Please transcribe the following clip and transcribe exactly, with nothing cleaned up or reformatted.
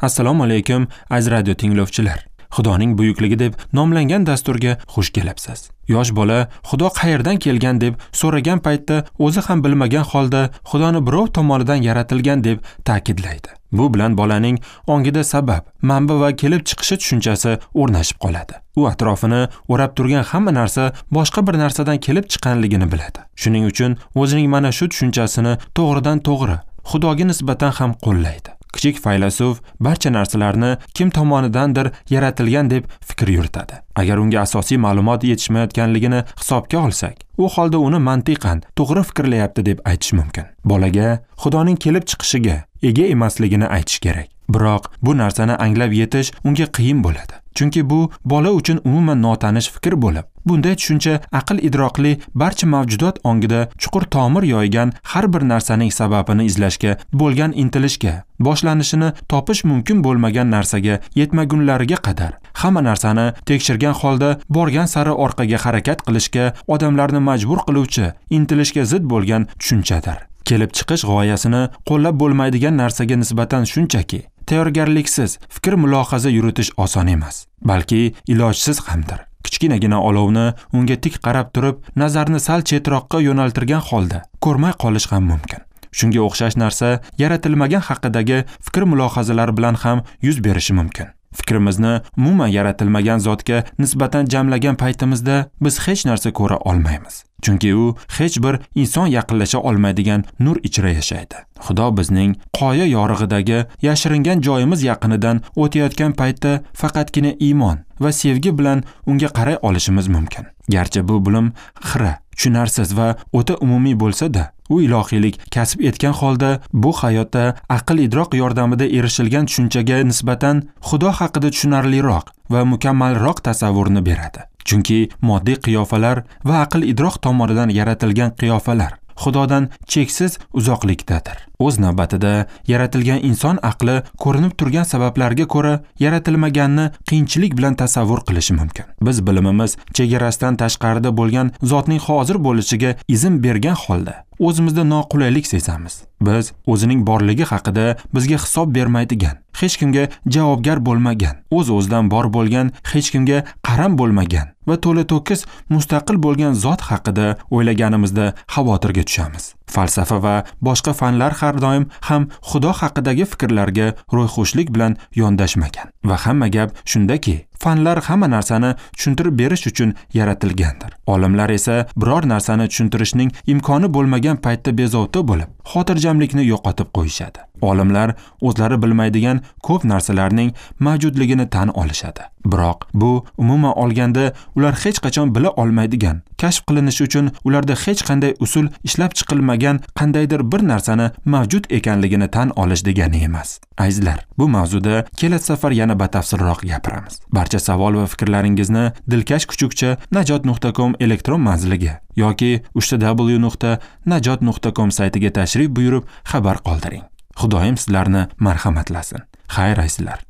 Assalomu alaykum, aziz radio tinglovchilar. Xudoning buyukligi deb nomlangan dasturga xush kelibsiz. Yosh bola Xudo qayerdan kelgan deb so'ragan paytda o'zi ham bilmagan holda Xudoni birov tomonidan yaratilgan deb ta'kidlaydi. Bu bilan bolaning ongida sabab, manba va kelib chiqishi tushunchasi o'rnashib qoladi. U atrofini o'rab turgan hamma narsa boshqa bir narsadan kelib chiqqanligini biladi. Shuning uchun o'zining mana shu tushunchasini to'g'ridan to'g'ri Xudoga nisbatan ham qo'llaydi. Kichik faylasuf barcha narsalarni kim tomonidandir yaratilgan deb fikr yuritadi. Agar unga asosiy ma'lumot yetishmayotganligini hisobga olsak, u holda uni mantiqan to'g'ri fikrlayapti deb aytish mumkin. Bolaga Xudoning kelib chiqishiga ega emasligini aytish kerak. Biroq bu narsani anglab yetish unga qiyin bo'ladi. Chunki bu bola uchun umuman notanish fikr bo'lib, bunday tushuncha aql idroqli barcha mavjudot ongida chuqur tomir yoygan har bir narsaning sababini izlashga bo'lgan intilishga, boshlanishini topish mumkin bo'lmagan narsaga yetmagunlariga qadar hamma narsani tekshirgan holda borgan sari orqaga harakat qilishga odamlarni majbur qiluvchi intilishga zid bo'lgan tushunchadir. Kelib chiqish g'oyasini qo'llab bo'lmaydigan narsaga nisbatan shunchaki tayyorgarliksiz fikr mulohaza yuritish oson emas, balki ilojsiz hamdir. Kichkinagina olovni unga tik qarab turib, nazarni sal chetroqqa yo'naltirgan holda ko'rmay qolish ham mumkin. Shunga o'xshash narsa yaratilmagan haqidagi fikr mulohazalar bilan ham yuz berishi mumkin. Fikrimizni umuman yaratilmagan zotga nisbatan jamlagan paytimizda biz hech narsa ko'ra olmaymiz. Chunki u hech bir inson yaqinlasha olmaydigan nur ichra yashaydi. Xudo bizning qoya yorug'idagi yashiringan joyimiz yaqinidan o'tayotgan paytda faqatgina iymon va sevgi bilan unga qaray olishimiz mumkin. Garchi bu bilim xira, tushunarsiz va o'ta umumiy bo'lsa-da, u ilohiylik kasb etgan holda bu hayotda aql idroq yordamida erishilgan tushunchaga nisbatan Xudo haqida tushunarliroq va mukammalroq tasavvurni beradi. Chunki moddiy qiyofalar va aql idroq tomonidan yaratilgan qiyofalar Xudodan cheksiz uzoqlikdadir. O'z navbatida yaratilgan inson aqli ko'rinib turgan sabablarga ko'ra yaratilmaganni qiyinchilik bilan tasavvur qilishi mumkin. Biz bilimimiz chegarasidan tashqarida bo'lgan zotning hozir bo'lishiga izn bergan holda o'zimizda noqulaylik sezamiz. Biz o'zining borligi haqida bizga hisob bermaydigan, hech kimga javobgar bo'lmagan, o'z-o'zidan bor bo'lgan, hech kimga qaram bo'lmagan va to'la-to'kis mustaqil bo'lgan zot haqida o'ylaganimizda xavotirga tushamiz. Falsafa va boshqa fanlar har doim ham Xudo haqidagi fikrlarga ro'yxushlik bilan yondashmagan. Va hamma gap shundaki, fanlar hamma narsani tushuntirib berish uchun yaratilgandir. Olimlar esa biror narsani tushuntirishning imkoni bo'lmagan paytda bezovta bo'lib, xotirjamlikni yo'qotib qo'yishadi. Olimlar o'zlari bilmaydigan ko'p narsalarning mavjudligini tan olishadi. Biroq bu umuman olganda ular hech qachon bila olmaydigan, kashf qilinishi uchun ularda hech qanday usul ishlab chiqilmagan qandaydir bir narsani mavjud ekanligini tan olish degani emas. Azizlar, bu mavzuda kelasi safar yana batafsilroq gapiramiz. Barcha savol va fikrlaringizni dilkash kuchukcha najot nuqta com elektron manziliga yoki uch w nuqta najot nuqta com saytiga tashrif buyurib xabar qoldiring. Xudoyim sizlarni marhamatlasin. Xayr, azizlar.